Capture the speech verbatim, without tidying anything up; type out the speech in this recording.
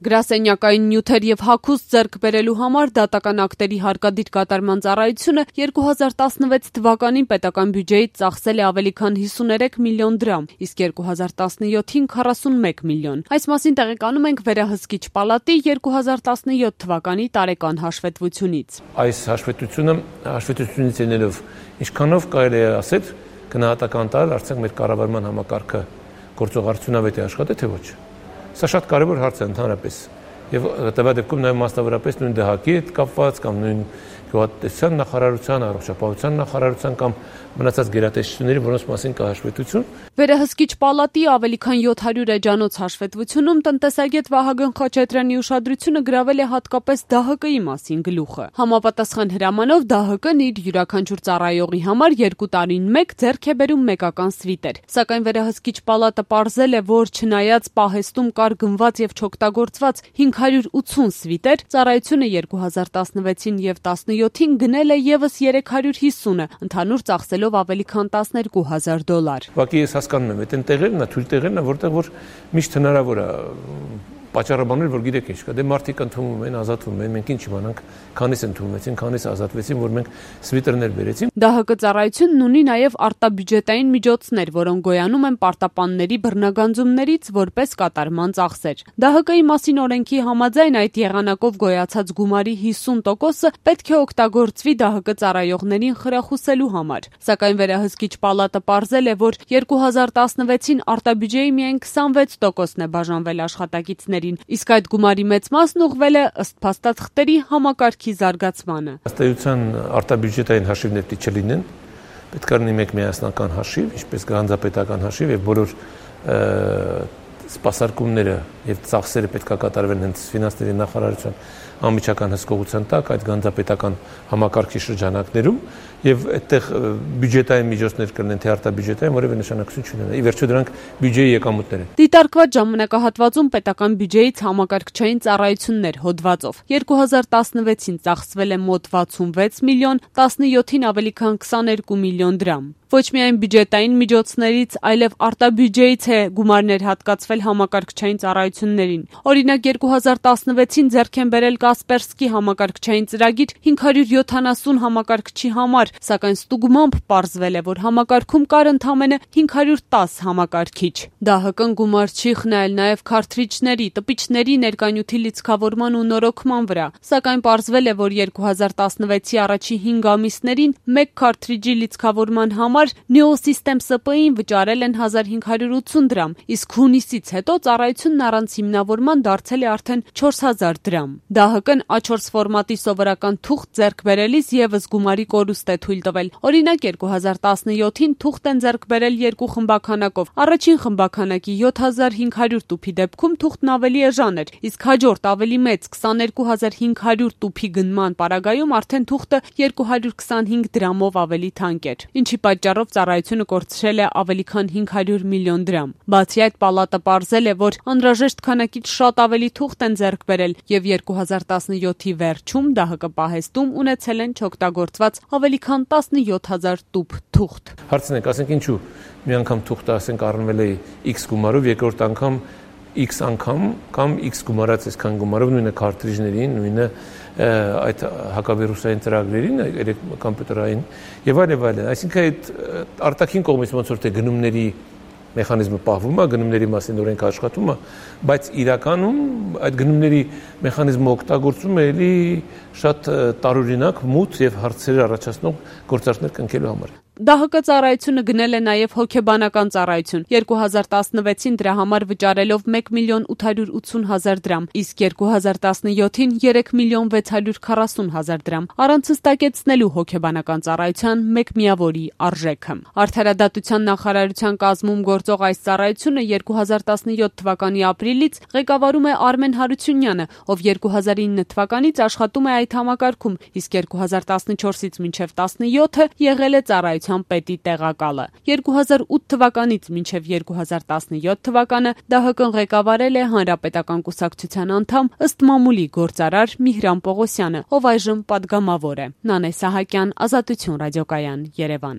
Գրասենյակային նյութեր եւ հագուստ ձեռք բերելու համար դատական ակտերի հարկադիր կատարման ծառայությունը երկու հազար տասնվեց թվականին պետական բյուջեից ծախսել է ավելի քան հիսուներեք միլիոն դրամ, իսկ երկու հազար տասնյոթին քառասունմեկ միլիոն։ Այս մասին տեղեկանում ենք Վերահսկիչ պալատի երկու հազար տասնյոթ թվականի տարեկան հաշվետվությունից։ Այս հաշվետվությունը հաշվետվությունից ելնելով ինչքանով կարելի է ասել գնահատական տալ արդյոք մեր կառավարման համակարգը գործողարդյունավետ է աշխատել թե ոչ։ Սա շատ կարևոր հարց է ընդհանրապես եւ տվյալ դեպքում նաեւ մասնավորապես նույն դահակի հետ կապված կամ նույն գյուղատնտեսության նախարարության, առողջապահության նախարարության կամ մնացած գերատեսչությունների, որոնց մասին կա հաշվետվություն։ Վերահսկիչ պալատի ավելի քան յոթ հարյուր էջանոց հաշվետվությունում տնտեսագետ Վահագն Խաչատրյանի ուշադրությունը գրավել է հատկապես ԴՀԿ-ի մասին գլուխը։ Համապատասխան հրամանով ԴՀԿ-ն իր յուրաքանչյուր ծառայողի համար երկու տարին մեկ ձեռք է բերում մեկական սվիտեր։ Սակայն Վերահսկիչ պալատը պարզել է, որ չնայած պահեստում կար գնված եւ չօգտագործված հինգ հարյուր ութուն սվիտեր, ծառայությունը երկու հազար տասնվեցին եւ տասնյոթին գնել է եւս երեք հարյուր հիսունը, ընդհանուր ծախսելով ավելի քան տասներկու հազար դոլար։ Ուղղակի ես հասկանում եմ, այդ տեղերն է, թույլ տեղերն է, որտեղ որ միշտ հնարավոր է պատճառաբանել, որ գիտեք ինչ կա, դե մարդիկ ընդունվում են, ազատվում են, մենք ինչ իմանանք, քանիս ընդունվեցին, քանիս ազատվեցին, որ մենք սվիտերներ բերեցինք։ ԴՀԿ ծառայությունն ունի նաև արտաբյուջետային միջոցներ, որոնք գոյանում են պարտապանների բռնագանձումներից որպես կատարման ծախսեր։ ԴՀԿ-ի մասին օրենքի համաձայն այդ եղանակով գոյացած գումարի հիսուն տոկոսը պետք է օգտագործվի ԴՀԿ ծառայողներին խրախուսելու համար։ Սակայն Վերահսկիչ պալատը պարզել է, որ երկու հազար տասնվեցին արտաբյուջեի միայն քսանվեց տոկոսն է բաժանվել աշխատակիցների, իսկ այդ գումարի մեծ մասն ուղղվել է ըստ փաստաթղթերի համակարգի զարգացմանը։ Ըստ էության արտաբյուջետային հաշիվներ պիտի չլինեն, պետք է լինի մեկ միասնական հաշիվ, ինչպես գանձապետական հաշիվ եւ բոլոր սպասարկումները եւ ծախսերը պետք է կատարվեն հենց ֆինանսների նախարարության անմիջական հսկողության տակ այդ գանձապետական համակարգի շրջանակներում եւ այդտեղ բյուջետային միջոցներ կլինեն թե արտաբյուջետային որևէ նշանակություն չունենա։ Ի վերջո դրանք բյուջեի եկամուտներ են։ Դիտարկված ժամանակահատվածում պետական բյուջեից համակարգչային ծառայություններ հոդվածով երկու հազար տասնվեցին ծախսվել է մոտ վաթսունվեց միլիոն, տասնյոթին ավելի քան քսաներկու միլիոն դրամ։ Ոչ միայն բյուջետային միջոցներից, այլև արտաբյուջեից է գումարներ հատկացվել համակարգչային ծառայություններին։ Օրինակ երկու հազար տասնվեցին ձեռք են բերել Կասպերսկի համակարգչային ծրագիր հինգ հարյուր յոթանասուն համակարգչի համար, սակայն ստուգմամբ պարզվել է, որ համակարգում կար ընդամենը հինգ հարյուր տաս համակարգիչ։ ԴՀԿ-ն գումար չի խնայել նաև քարթրիջների, տպիչների ներկայնյութի լիցքավորման ու նորոգման վրա, սակայն պարզվել է, որ երկու հազար տասնվեցի առաջի հինգ ամիսներին մեկ քարթրիջի լիցքավորման համար Neosystem S P-ին վճարել են հազար հինգ հարյուր ութուն դրամ, իսկ հունիսից հետո ծառայությունն առանց հիմնավորման դարձել է արդեն չորս հազար դրամ։ ԴՀԿ-ն A չորս ֆորմատի սովորական թուղթ ձեռք բերելիս եւս գումարի կորուստ է թույլ տվել։ Օրինակ երկու հազար տասնյոթին թուղթ են ձեռք բերել երկու խմբականակով։ Առաջին խմբականակի յոթ հազար հինգ հարյուր տուփի դեպքում թուղթն ավելի էժան էր, իսկ հաջորդ ավելի մեծ քսաներկու հազար հինգ հարյուր տուփի գնման պարագայում արդեն թուղթը երկու հարյուր քսանհինգ դրամով ավելի թանկ էր, ինչի պատճառով ծառայությունը կորցրել է ավելի քան հինգ հարյուր միլիոն դրամ։ Բացի այդ, պալատը պարզել է, որ անհրաժեշտ քանակից շատ ավելի թուղթ են ձեռք բերել եւ երկու հազար տասնյոթի վերջում ԴՀԿ պահեստում ունեցել են չօգտագործված ավելի քան տասնյոթ հազար տուփ թուղթ։ Հարցն է, ասենք ինչու մի անգամ թուղթը ասենք առնվել է X գումարով, երկրորդ անգամ X անգամ կամ X գումարած այսքան գումարով, նույնը քարթրիջներին, նույնը այդ հակավիրուսային ծրագրերին, երեք կոմպյուտերային եւ այլ եւ այլն։ Այսինքն այդ արտաքին կողմից ոնց որ թե գնումների մեխանիզմը պահվում է, գնումների մասին օրենքը աշխատում է, բայց իրականում այդ գնումների մեխանիզմը օգտագործում է էլի շատ տարօրինակ մութ եւ հարցեր առաջացնող գործարքներ կնքելու համար։ ԴՀԿ ծառայությունը գնել է նաև հոգեբանական ծառայություն երկու հազար տասնվեցին դրա համար վճարելով մեկ միլիոն ութ հարյուր ութուն հազար դրամ, իսկ երկու հազար տասնյոթին երեք միլիոն վեց հարյուր քառասուն հազար դրամ, առանց հստակեցնելու հոգեբանական ծառայության մեկ միավորի արժեքը։ Արդարադատության նախարարության կազմում գործող այս ծառայությունը երկու հազար տասնյոթ թվականի ապրիլից ղեկավարում է Արմեն Հարությունյանը, ով երկու հազար ինը թվականից աշխատում է այդ համակարգում, իսկ երկու հազար տասնչորսից մինչև տասնյոթը եղել է ծառայության պետի տեղակալը։ երկու հազար ութ թվականից մինչև երկու հազար տասնյոթ թվականը ԴՀԿ-ն ղեկավարել է Հանրապետական կուսակցության անդամ ըստ մամուլի գործարար Միհրան Պողոսյանը, ով այժմ պատգամավոր է։ Նանե Սահակյան, Ազատություն ռադիոկայան, Երևան։